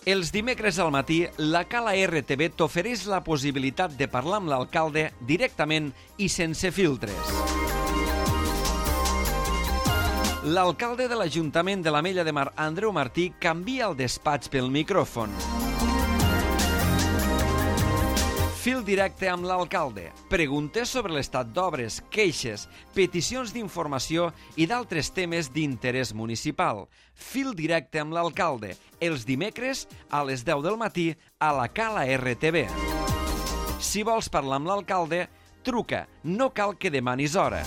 Els dimecres al matí, la Cala RTV t'ofereix la possibilitat de parlar amb l'alcalde directament i sense filtres. L'alcalde de l'Ajuntament de l'Ametlla de Mar, Andreu Martí, canvia el despatx pel micròfon. Fil directe amb l'alcalde. Preguntes sobre l'estat d'obres, queixes, peticions d'informació i d'altres temes d'interès municipal. Fil directe amb l'alcalde. Els dimecres a les 10 del matí a la Cala RTV. Si vols parlar amb l'alcalde, truca. No cal que demanis hora.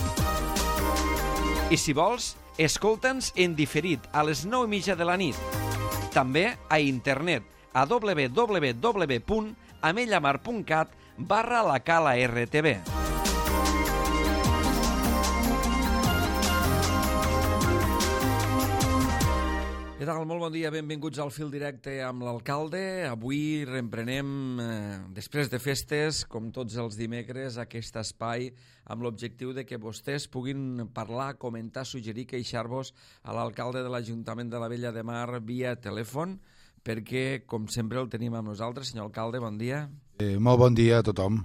I si vols, escolta'ns en diferit a les 9:30 de la nit. També a internet a www.amellamar.cat/la Cala RTV. Què tal? Molt bon dia, benvinguts al Fil Directe amb l'alcalde. Avui reemprenem, després de festes, com tots els dimecres, aquest espai amb l'objectiu de que vostès puguin parlar, comentar, suggerir, queixar-vos a l'alcalde de l'Ajuntament de l'Ametlla de Mar via telèfon, perquè, com sempre, el tenim amb nosaltres. Senyor alcalde, bon dia. Molt bon dia a tothom.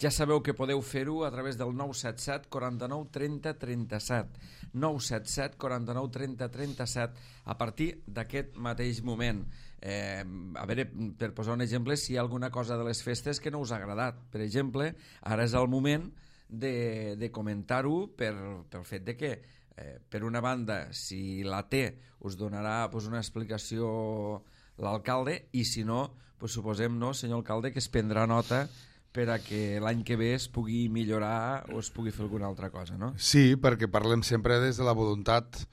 Ja sabeu que podeu fer-ho a través del 977 49 30 37. 977 49 30 37 a partir d'aquest mateix moment. A veure, per posar un exemple, si hi ha alguna cosa de les festes que no us ha agradat. Per exemple, ara és el moment de comentar-ho pel fet de que, per una banda, si la té, us donarà una explicació l'alcalde, i si no, suposem, no, senyor alcalde, que es prendrà nota per a que l'any que ve es pugui millorar o es pugui fer alguna altra cosa, no? Sí, perquè parlem sempre des de la voluntat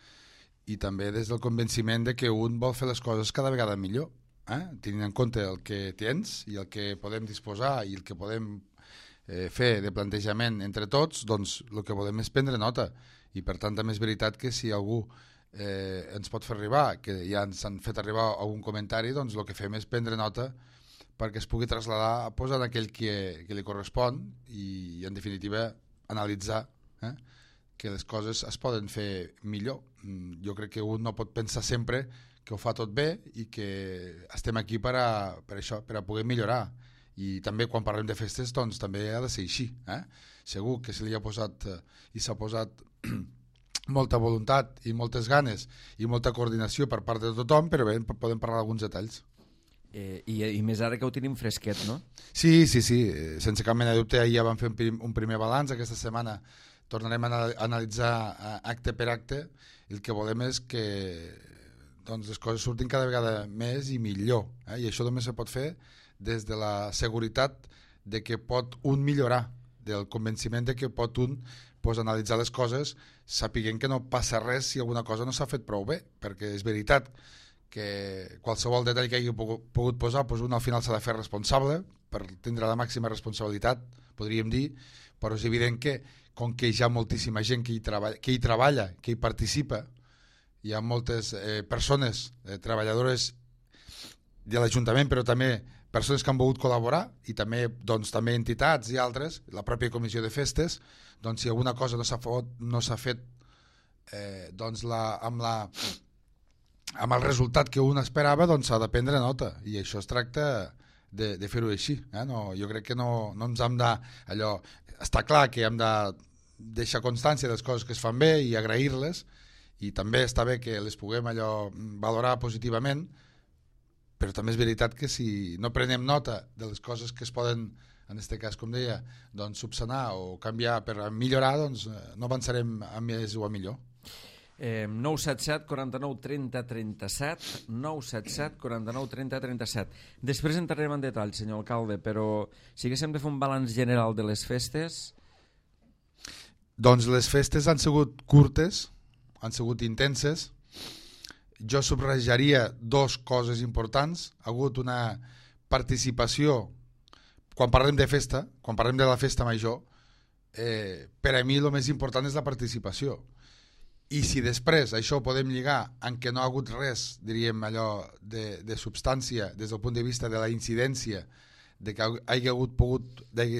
i també des del convenciment de que un vol fer les coses cada vegada millor, tenint en compte el que tens i el que podem disposar i el que podem fer de plantejament entre tots, doncs el que volem és prendre nota, i per tant també és veritat que si algú ens pot fer arribar, que ja ens han fet arribar algun comentari, doncs el que fem és prendre nota perquè es pugui traslladar posant aquell que li correspon i, en definitiva, analitzar que les coses es poden fer millor. Jo crec que un no pot pensar sempre que ho fa tot bé i que estem aquí per això, per a poder millorar. I també quan parlem de festes, doncs també ha de ser així. Segur que se li ha posat i s'ha posat molta voluntat i moltes ganes i molta coordinació per part de tothom, però bé, podem parlar d'alguns detalls. I més ara que ho tenim fresquet, no? Sí, sense cap mena de dubte. Ahir ja vam fer un primer balanç, aquesta setmana tornarem a analitzar acte per acte, i el que volem és que les coses surtin cada vegada més i millor, i això només se pot fer des de la seguretat de que pot un millorar, del convenciment de que pot un analitzar les coses sapiguent que no passa res si alguna cosa no s'ha fet prou bé, perquè és veritat que qualsevol detall que hagi pogut posar, un al final s'ha de fer responsable per tindre la màxima responsabilitat, podríem dir, però és evident que com que hi ha moltíssima gent que hi treballa, que hi participa, hi ha moltes persones, treballadores de l'Ajuntament, però també persones que han volgut col·laborar, i també entitats i altres, la pròpia comissió de festes, doncs si alguna cosa no s'ha fet amb el resultat que un esperava, doncs s'ha de prendre nota, i això es tracta de fer-ho així. Jo crec que no ens hem de... Està clar que hem de deixar constància de les coses que es fan bé i agrair-les, i també està bé que les puguem valorar positivament, però també és veritat que si no prenem nota de les coses que es poden, en aquest cas, com deia, subsanar o canviar per millorar, doncs no avançarem a més o a millor. 977 49 30 37, 977 49 30 37. Després entrarem en detall, senyor alcalde, però si haguéssim de fer un balanç general de les festes... Doncs les festes han sigut curtes, han sigut intenses. Jo subratljaria dues coses importants. Ha hagut una participació, quan parlem de festa, quan parlem de la festa major, per a mi el més important és la participació. I si després això ho podem lligar en què no ha hagut res, diríem allò, de substància des del punt de vista de la incidència, de que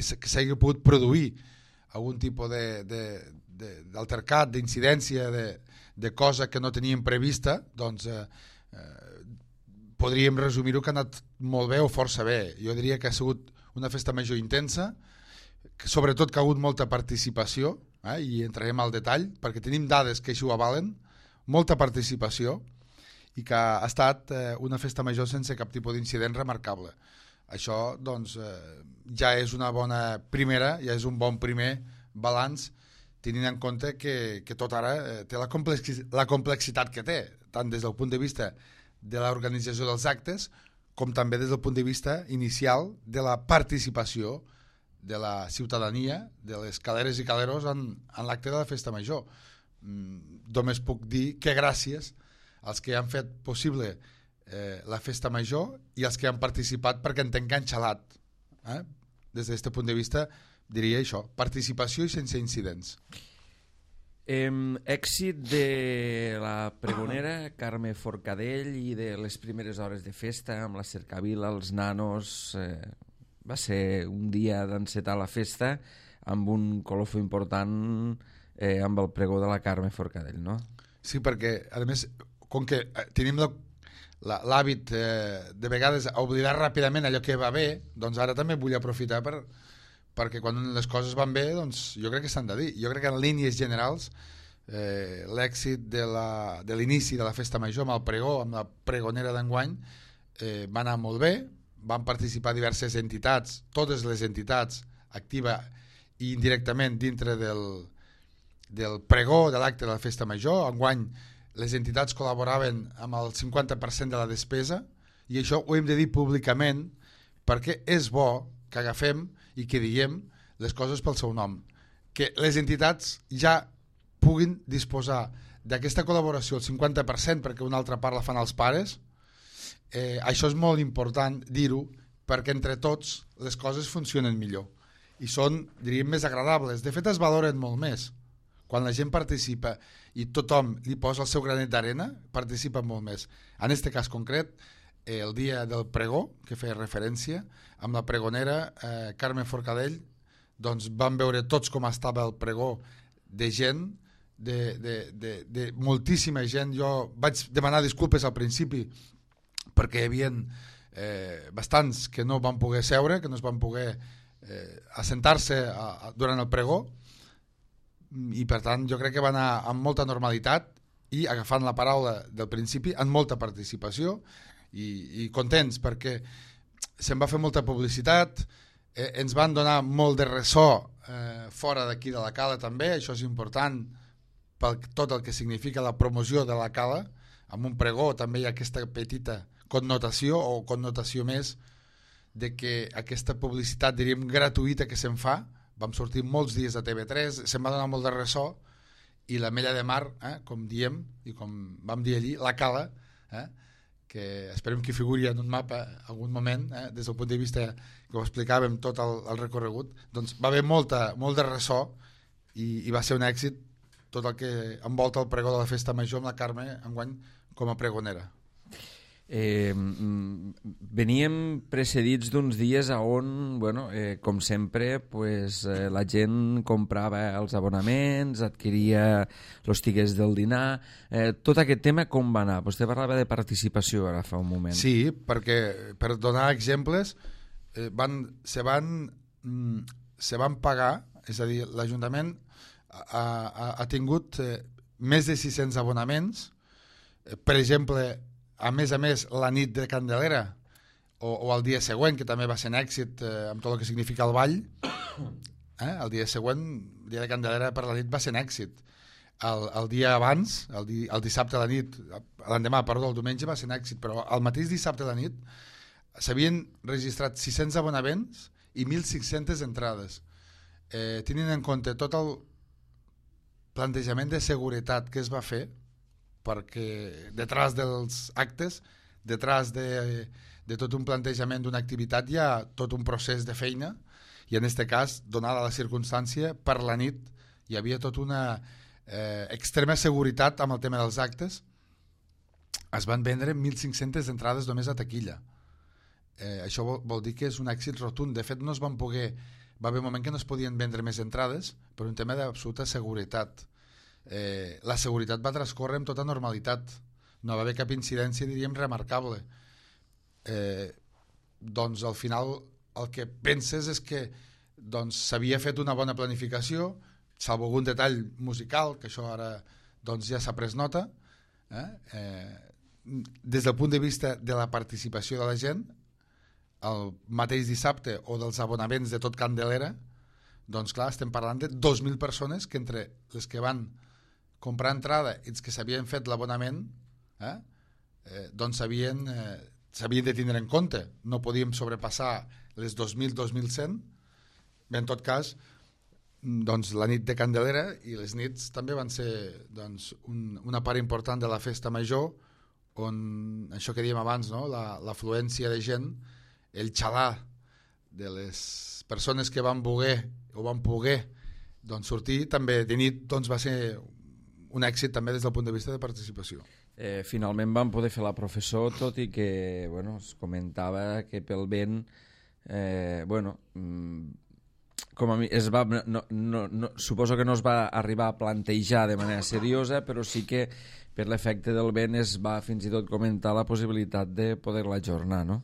s'hagi pogut produir algun tipus d'altercat, d'incidència, de cosa que no teníem prevista, doncs podríem resumir-ho que ha anat molt bé o força bé. Jo diria que ha sigut una festa major intensa, que sobretot que ha hagut molta participació, i entrarem al detall, perquè tenim dades que així ho avalen, molta participació, i que ha estat una festa major sense cap tipus d'incident remarcable. Això, doncs, ja és una bona primera, ja és un bon primer balanç, tenint en compte que tot ara té la complexitat que té, tant des del punt de vista de l'organització dels actes, com també des del punt de vista inicial de la participació de la ciutadania, de les caleres i caleros en l'acte de la festa major. Només puc dir que gràcies als que han fet possible la festa major i els que han participat perquè ens han enganxalat. Des d'aquest punt de vista diria això, participació i sense incidents. Èxit de la pregonera Carme Forcadell i de les primeres hores de festa amb la cercavila, els nanos. Va ser un dia d'encetar la festa amb un colofó important amb el pregó de la Carme Forcadell, no? Sí, perquè a més, com que tenim l'hàbit de vegades a oblidar ràpidament allò que va bé, doncs ara també vull aprofitar perquè quan les coses van bé, doncs jo crec que s'han de dir. Jo crec que en línies generals l'èxit de l'inici de la festa major amb el pregó, amb la pregonera d'enguany, va anar molt bé, van participar diverses entitats, totes les entitats, activa i indirectament dintre del pregó de l'acte de la festa major. Enguany les entitats col·laboraven amb el 50% de la despesa i això ho hem de dir públicament perquè és bo que agafem i que diguem les coses pel seu nom, que les entitats ja puguin disposar d'aquesta col·laboració al 50% perquè una altra part la fan els pares. Això és molt important dir-ho perquè entre tots les coses funcionen millor i són, diríem, més agradables. De fet es valoren molt més quan la gent participa i tothom li posa el seu granet d'arena, participa molt més. En aquest cas concret, el dia del pregó, que feia referència, amb la pregonera Carme Forcadell, doncs vam veure tots com estava el pregó de gent, de moltíssima gent. Jo vaig demanar disculpes al principi perquè hi havia bastants que no van poder seure, que no es van poder assentar-se durant el pregó, i per tant jo crec que va anar amb molta normalitat i agafant la paraula del principi amb molta participació i contents perquè se'n va fer molta publicitat, ens van donar molt de ressò fora d'aquí de la cala també. Això és important per tot el que significa la promoció de la cala. Amb un pregó també hi ha aquesta petita connotació o connotació més de que aquesta publicitat, diríem, gratuïta que se'n fa. Vam sortir molts dies a TV3, se'n va donar molt de ressò i la Mella de Mar, com diem i com vam dir allí, la cala, que esperem que figuri en un mapa algun moment, des del punt de vista que ho explicàvem tot el recorregut, doncs va haver molt de ressò i va ser un èxit tot el que envolta el pregó de la festa major amb la Carme enguany com a pregonera. Veníem precedits d'uns dies on, com sempre, la gent comprava els abonaments, adquiria els tiquets del dinar. Tot aquest tema com va anar? Vostè parlava de participació ara fa un moment. Sí, perquè per donar exemples se van pagar, és a dir, l'Ajuntament ha tingut més de 600 abonaments. Per exemple, a més, la nit de Candelera o el dia següent, que també va ser un èxit amb tot el que significa el ball, el dia següent, el dia de Candelera per la nit va ser un èxit. El dia abans, el dissabte a la nit, l'endemà, el diumenge va ser un èxit, però el mateix dissabte a la nit s'havien registrat 600 abonaments i 1.500 entrades. Tenint en compte tot el plantejament de seguretat que es va fer, perquè detrás dels actes, detrás de tot un plantejament d'una activitat hi ha tot un procés de feina i en aquest cas, donada la circumstància, per la nit hi havia tota una extrema seguretat amb el tema dels actes. Es van vendre 1.500 entrades només a taquilla. Això vol dir que és un èxit rotund. De fet, no es van poder... Va haver un moment que no es podien vendre més entrades per un tema d'absoluta seguretat. La seguretat va transcórrer amb tota normalitat, no va haver cap incidència, diríem, remarcable. doncs al final el que penses és que doncs s'havia fet una bona planificació, salvo algun detall musical, que això ara doncs ja s'ha pres nota, des del punt de vista de la participació de la gent, el mateix dissabte o dels abonaments de tot Candelera, doncs clar, estem parlant de 2.000 persones que entre les que van comprar entrada i els que s'havien fet l'abonament doncs s'havien de tindre en compte. No podíem sobrepassar les 2.000, 2.100. Bé, en tot cas, doncs la nit de Candelera i les nits també van ser doncs, una part important de la festa major, on això que dèiem abans, no? L'afluència de gent, el xalar de les persones que van voler o van poder doncs, sortir també de nit, doncs, va ser un èxit també des del punt de vista de participació. Finalment vam poder fer la professó, tot i que es comentava que pel vent com a mi suposo que no es va arribar a plantejar de manera seriosa, però sí que per l'efecte del vent es va fins i tot comentar la possibilitat de poder-la ajornar, no?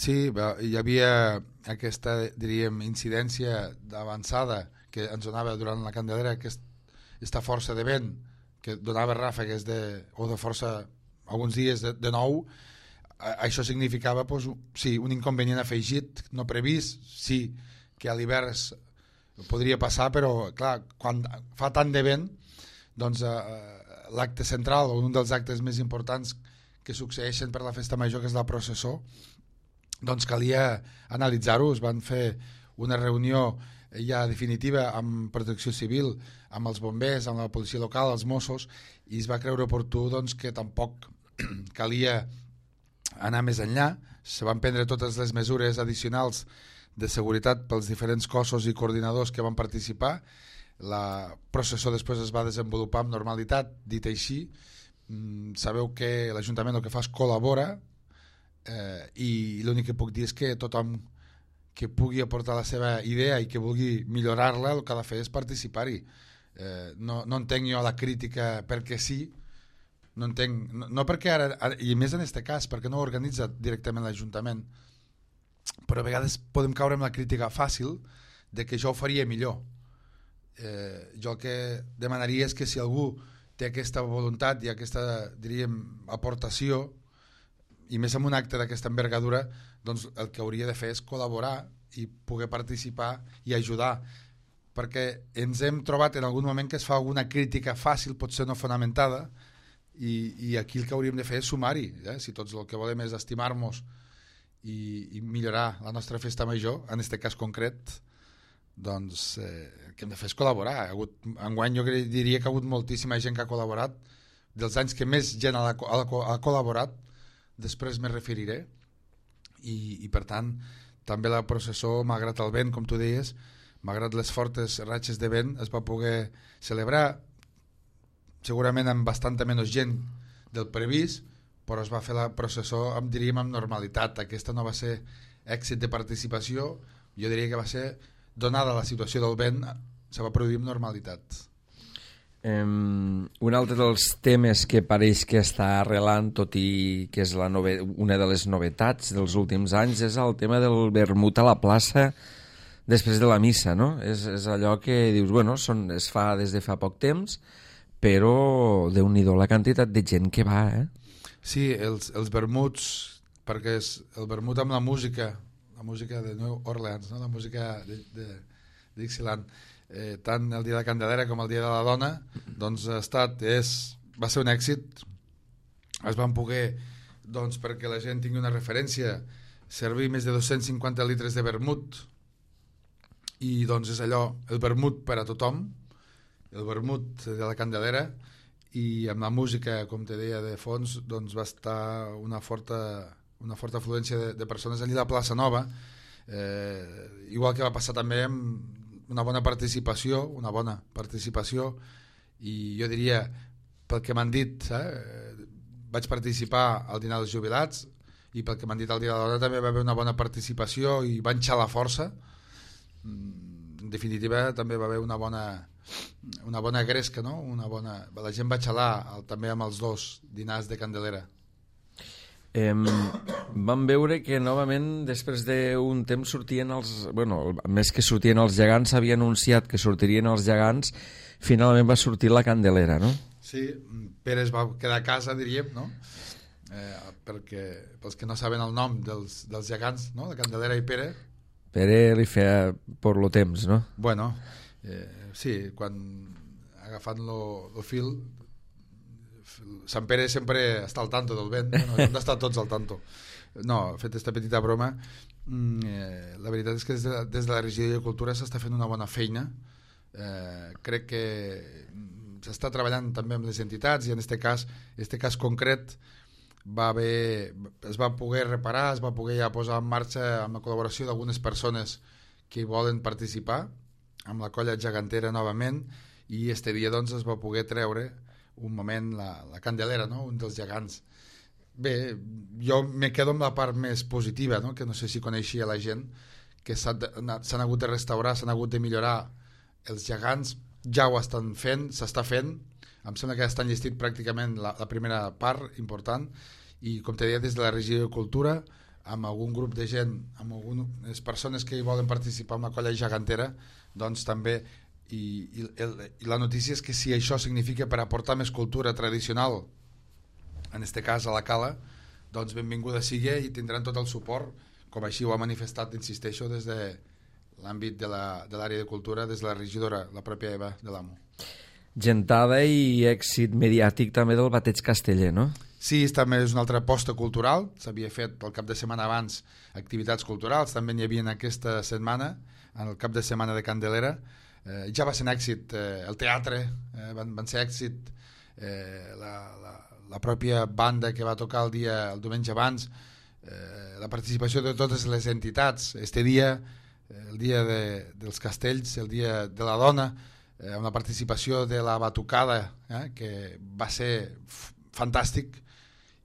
Sí, hi havia aquesta, diríem, incidència d'avançada que ens donava durant la Candelera, aquesta força de vent que donava ràfegues o de força alguns dies de nou. Això significava doncs, sí, un inconvenient afegit, no previst, sí que a l'hivern podria passar, però clar, quan fa tant de vent, doncs l'acte central o un dels actes més importants que succeeixen per la festa major, que és la processó, doncs calia analitzar-ho. Es van fer una reunió ja definitiva amb Protecció Civil, amb els bombers, amb la policia local, els Mossos, i es va creure oportú doncs, que tampoc calia anar més enllà. Se van prendre totes les mesures addicionals de seguretat pels diferents cossos i coordinadors que van participar. La processó després es va desenvolupar amb normalitat. Dit així, sabeu que l'Ajuntament el que fa és col·labora, i l'únic que puc dir és que tothom que pugui aportar la seva idea i que vulgui millorar-la, el que ha de fer és participar-hi. No entenc jo la crítica perquè sí, no entenc, no perquè ara, i més en aquest cas, perquè no ho organitza directament l'Ajuntament, però a vegades podem caure en la crítica fàcil de que jo ho faria millor. Jo el que demanaria és que si algú té aquesta voluntat i aquesta, diríem, aportació, i més en un acte d'aquesta envergadura, doncs el que hauria de fer és col·laborar i poder participar i ajudar, perquè ens hem trobat en algun moment que es fa alguna crítica fàcil, potser no fonamentada, i aquí el que hauríem de fer és sumar-hi. Si tots el que volem és estimar-nos i millorar la nostra festa major, en aquest cas concret, doncs el que hem de fer és col·laborar. Enguany jo diria que ha hagut moltíssima gent que ha col·laborat, dels anys que més gent ha col·laborat, després me referiré, i per tant també la processó, malgrat el vent, com tu deies, malgrat les fortes ratxes de vent, es va poder celebrar segurament amb bastanta menys gent del previst, però es va fer la processó, diríem, amb normalitat. Aquesta no va ser èxit de participació, jo diria que va ser, donada la situació del vent, se va produir amb normalitat. Un altre dels temes que pareix que està arrelant, tot i que és una de les novetats dels últims anys, és el tema del vermut a la plaça després de la missa, no? És allò que dius, bueno, es fa des de fa poc temps, però Déu-n'hi-do la quantitat de gent que va, Sí, els vermuts, perquè és el vermut amb la música de New Orleans, no? La música de Dixieland, tant el dia de Candelera com el dia de la dona, doncs va ser un èxit. Es van poder, doncs, perquè la gent tingui una referència, servir més de 250 litres de vermut, i doncs és allò, el vermut per a tothom, el vermut de la Candelera, i amb la música, com te deia, de fons, doncs va estar una forta afluència de persones allà a la plaça Nova, igual que va passar també amb una bona participació, i jo diria, pel que m'han dit, vaig participar al dinar dels jubilats, i pel que m'han dit al dia de la dona també va haver una bona participació i van xalar força. En definitiva també va haver una bona gresca, no? La gent va xalar també amb els dos dinars de Candelera. Vam veure que novament després d'un temps sortien els... Bueno, més que sortien els gegants, s'havia anunciat que sortirien els gegants, finalment va sortir la Candelera, no? Sí, Pere es va quedar a casa, diríem, no? Perquè pels que no saben el nom dels gegants, no? La Candelera i Pere. Pere li feia por lo temps, no? Bueno, sí, quan agafant lo fil, Sant Pere sempre està al tanto del vent, no? Hem d'estar tots al tanto. No, fet aquesta petita broma, la veritat és que des de la regió de Cultura s'està fent una bona feina. Crec que s'està treballant també amb les entitats i en este cas concret es va poder reparar, es va poder ja posar en marxa amb la col·laboració d'algunes persones que hi volen participar amb la colla gegantera novament, i este dia doncs es va poder treure un moment la Candelera, no? Un dels gegants. Bé, jo me quedo amb la part més positiva, no? Que no sé si coneixia la gent, que s'han hagut de restaurar, s'han hagut de millorar els gegants, ja ho estan fent, s'està fent, em sembla que ja estan llistit pràcticament la primera part important, i com te deia, des de la regió de Cultura, amb algun grup de gent, amb algunes persones que hi volen participar en la colla gegantera, doncs també, i la notícia és que si això significa per aportar més cultura tradicional, en este cas a la Cala, doncs benvinguda sigui i tindran tot el suport, com així ho ha manifestat, insisteixo, des de l'àmbit de l'àrea de cultura, des de la regidora, la pròpia Eva de l'Amo. Gentada i èxit mediàtic també del bateig casteller, no? Sí, també és una altra aposta cultural, s'havia fet el cap de setmana abans activitats culturals, també n'hi havia aquesta setmana, en el cap de setmana de Candelera. Ja va ser un èxit el teatre, van ser èxit la pròpia banda que va tocar el diumenge abans, la participació de totes les entitats, este dia, el dia dels castells, el dia de la dona, amb la participació de la batucada, que va ser fantàstic,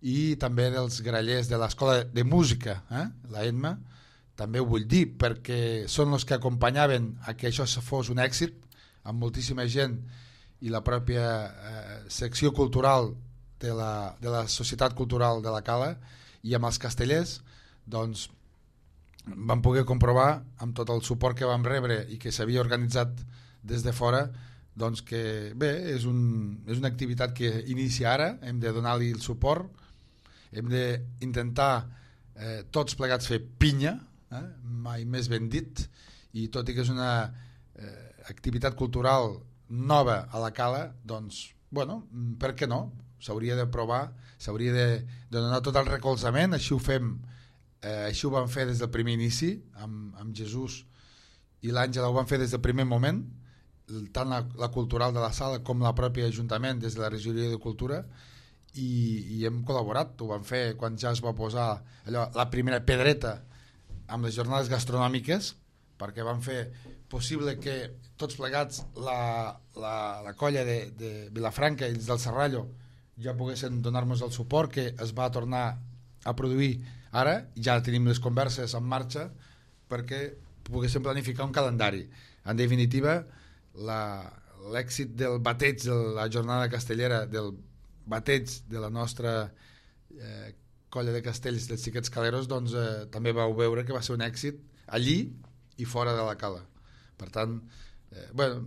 i també dels grallers de l'escola de música, la ENMA, també ho vull dir, perquè són els que acompanyaven a que això fos un èxit, amb moltíssima gent, i la pròpia secció cultural de la Societat Cultural de la Cala, i amb els castellers, doncs vam poder comprovar, amb tot el suport que vam rebre i que s'havia organitzat des de fora, doncs que bé, és una activitat que inicia ara, hem de donar-li el suport, hem d'intentar tots plegats fer pinya, mai més ben dit, i tot i que és una activitat cultural nova a la Cala, doncs, bueno, per què no? S'hauria de provar, s'hauria de donar tot el recolzament, així ho fem, així ho vam fer des del primer inici, amb Jesús i l'Àngela ho van fer des del primer moment, tant la cultural de la sala com la pròpia Ajuntament des de la regidoria de Cultura, i hem col·laborat, ho vam fer quan ja es va posar allò, la primera pedreta amb les jornades gastronòmiques, perquè van fer possible que tots plegats la colla de Vilafranca i els del Serrallo ja poguessin donar-nos el suport que es va tornar a produir ara, ja tenim les converses en marxa perquè poguéssim planificar un calendari. En definitiva, l'èxit del bateig de la jornada castellera, del bateig de la nostra colla de castells dels Xiquets Caleros, doncs també vau veure que va ser un èxit allí i fora de la Cala. Per tant, bueno,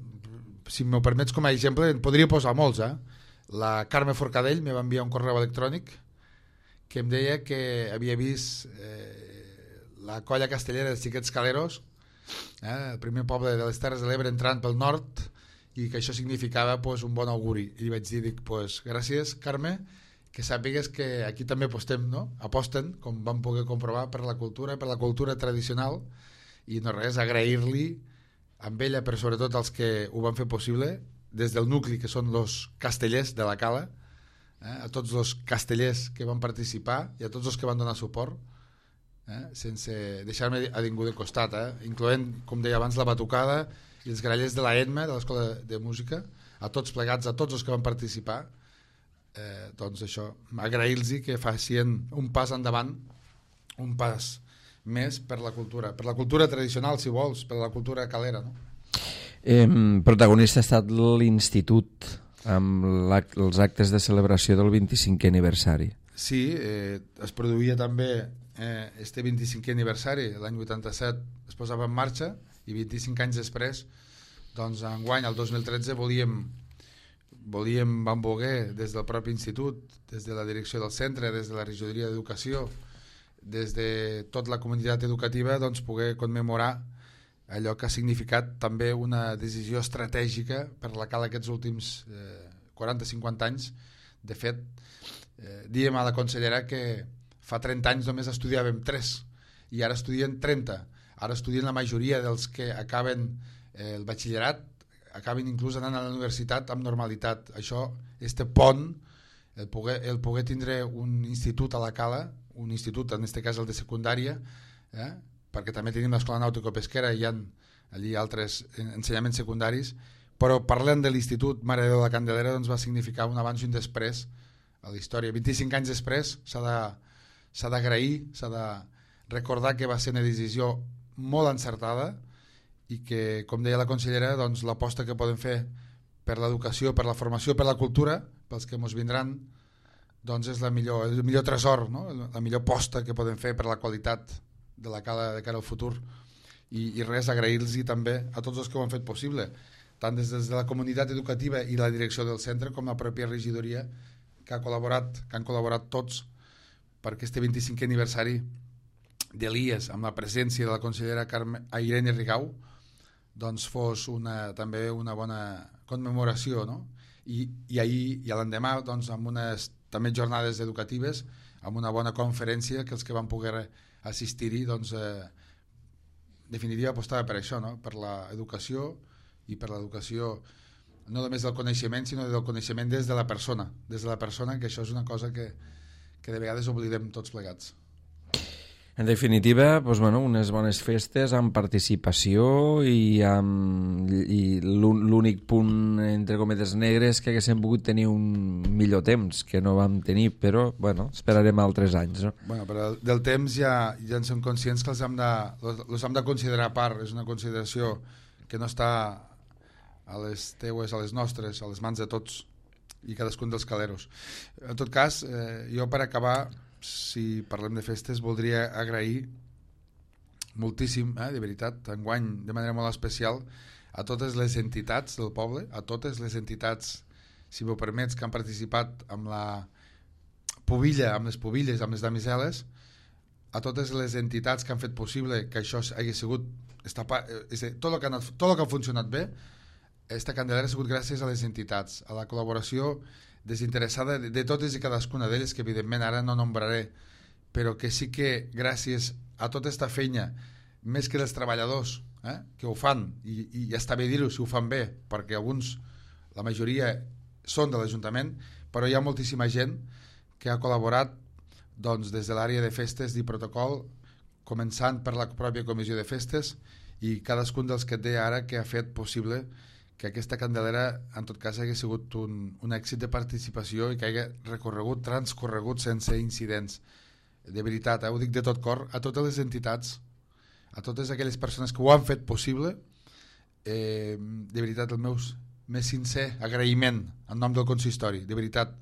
si m'ho permets com a exemple, en podria posar molts. La Carme Forcadell me va enviar un correu electrònic que em deia que havia vist la colla castellera dels Xiquets Caleros, el primer poble de les Terres de l'Ebre entrant pel nord, i que això significava pues, un bon auguri. I li vaig dir, pues, gràcies Carme, que sàpigues que aquí també apostem, no? Aposten, com vam poder comprovar, per la cultura tradicional, i no res, agrair-li amb ella, però sobretot els que ho van fer possible, des del nucli que són els castellers de la Cala, a tots els castellers que van participar i a tots els que van donar suport, sense deixar-me a ningú de costat, incloent, com deia abans, la batucada i els grallers de la ENMA, de l'Escola de Música, a tots plegats, a tots els que van participar, doncs això, agrair-los que facin un pas endavant, un pas més per la cultura tradicional, si vols, per la cultura calera, no? Protagonista ha estat l'Institut amb els actes de celebració del 25è aniversari. Sí, es produïa també este 25è aniversari, l'any 87 es posava en marxa i 25 anys després, doncs enguany, el 2013, vam voler des del propi institut, des de la direcció del centre, des de la regidoria d'educació, des de tota la comunitat educativa, doncs poder commemorar allò que ha significat també una decisió estratègica per la Cala aquests últims 40-50 anys. De fet, diem a la consellera que fa 30 anys només estudiàvem 3 i ara estudien 30. Ara estudien la majoria dels que acaben el batxillerat, acaben inclús anant a la universitat amb normalitat. Això, este pont, el poder tindre un institut a la Cala, un institut, en aquest cas el de secundària, perquè també tenim l'escola nàutico-pesquera i hi ha allí altres ensenyaments secundaris, però parlant de l'Institut Mare de Déu de la Candelera, doncs va significar un abans i un després a la història. 25 anys després s'ha d'agrair, s'ha de recordar que va ser una decisió molt encertada i que, com deia la consellera, doncs, l'aposta que podem fer per l'educació, per la formació, per la cultura, pels que ens vindran, doncs és el millor tresor, no? La millor aposta que podem fer per la qualitat de la Cala de cara al futur. I res, agrair-los també a tots els que ho han fet possible, tant des de la comunitat educativa i la direcció del centre com la pròpia regidoria que han col·laborat tots perquè este 25è aniversari de l'IES, amb la presència de la consellera Irene Rigau, doncs fos també una bona commemoració, no? I ahir i l'endemà, doncs, amb unes també jornades educatives, amb una bona conferència que els que van poder assistir-hi, doncs, definitiva apostava per això, no? Per l'educació i per l'educació no només del coneixement, sinó del coneixement des de la persona, que això és una cosa que de vegades oblidem tots plegats. En definitiva, doncs, unes bones festes amb participació i l'únic punt, entre cometes negres, que haguéssim pogut tenir un millor temps, que no vam tenir, però esperarem altres anys. No? Però del temps ja en som conscients que els hem de considerar a part. És una consideració que no està a les teues, a les nostres, a les mans de tots i cadascun dels caleros. En tot cas, jo per acabar, si parlem de festes, voldria agrair moltíssim, de veritat, enguany de manera molt especial, a totes les entitats del poble, a totes les entitats, si m'ho permets, que han participat amb la pubilla, amb les pubilles, amb les damiseles, a totes les entitats que han fet possible que això hagi sigut tot el que ha funcionat bé. Esta Candelera ha sigut gràcies a les entitats, a la col·laboració desinteressada de totes i cadascuna d'elles, que evidentment ara no nombraré, però que sí que gràcies a tota aquesta feina, més que dels treballadors que ho fan, i ja està bé dir-ho si ho fan bé, perquè alguns, la majoria són de l'Ajuntament, però hi ha moltíssima gent que ha col·laborat, doncs, des de l'àrea de festes i protocol, començant per la pròpia comissió de festes i cadascun dels que et deia ara que ha fet possible que aquesta Candelera, en tot cas, hagi sigut un èxit de participació i que hagi transcorregut sense incidents. De veritat, ho dic de tot cor, a totes les entitats, a totes aquelles persones que ho han fet possible, de veritat, el meu més sincer agraïment en nom del consistori. De veritat,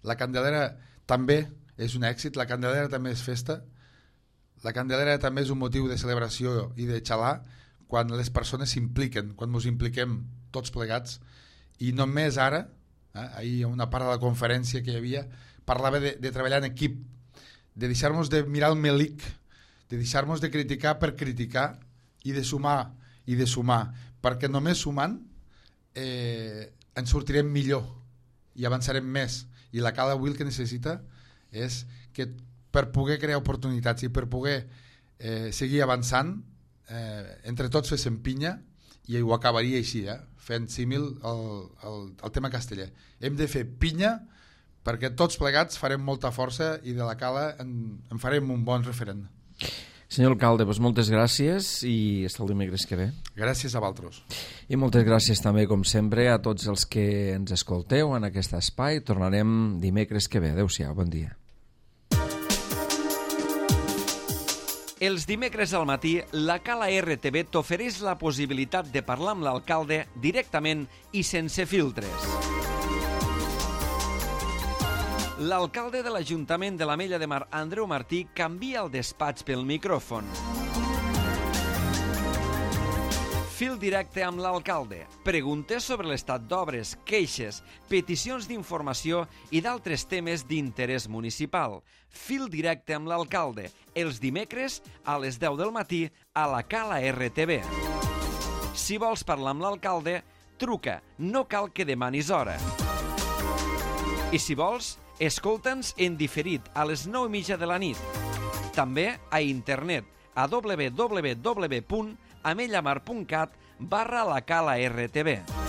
la Candelera també és un èxit, la Candelera també és festa, la Candelera també és un motiu de celebració i de xalar quan les persones s'impliquen, quan ens impliquem tots plegats, i només ara, ahir una part de la conferència que hi havia, parlava de treballar en equip, de deixar-nos de mirar el melic, de deixar-nos de criticar per criticar i de sumar, perquè només sumant ens sortirem millor i avançarem més. I la Cala avui el que necessita és que per poder crear oportunitats i per poder seguir avançant, entre tots féssim pinya, i ho acabaria així, fent símil al tema casteller. Hem de fer pinya perquè tots plegats farem molta força i de la Cala en farem un bon referent. Senyor alcalde, doncs moltes gràcies i fins el dimecres que ve. Gràcies a vosaltres. I moltes gràcies també, com sempre, a tots els que ens escolteu en aquest espai. Tornarem dimecres que ve. Adéu-siau, bon dia. Els dimecres al matí, la Cala RTV t'ofereix la possibilitat de parlar amb l'alcalde directament i sense filtres. L'alcalde de l'Ajuntament de l'Ametlla de Mar, Andreu Martí, canvia el despatx pel micròfon. Fil directe amb l'alcalde. Preguntes sobre l'estat d'obres, queixes, peticions d'informació i d'altres temes d'interès municipal. Fil directe amb l'alcalde. Els dimecres a les 10 del matí a la Cala RTV. Si vols parlar amb l'alcalde, truca. No cal que demanis hora. I si vols, escolta'ns en diferit a les 9:30 de la nit. També a internet a www.amellamar.cat/la Cala RTV.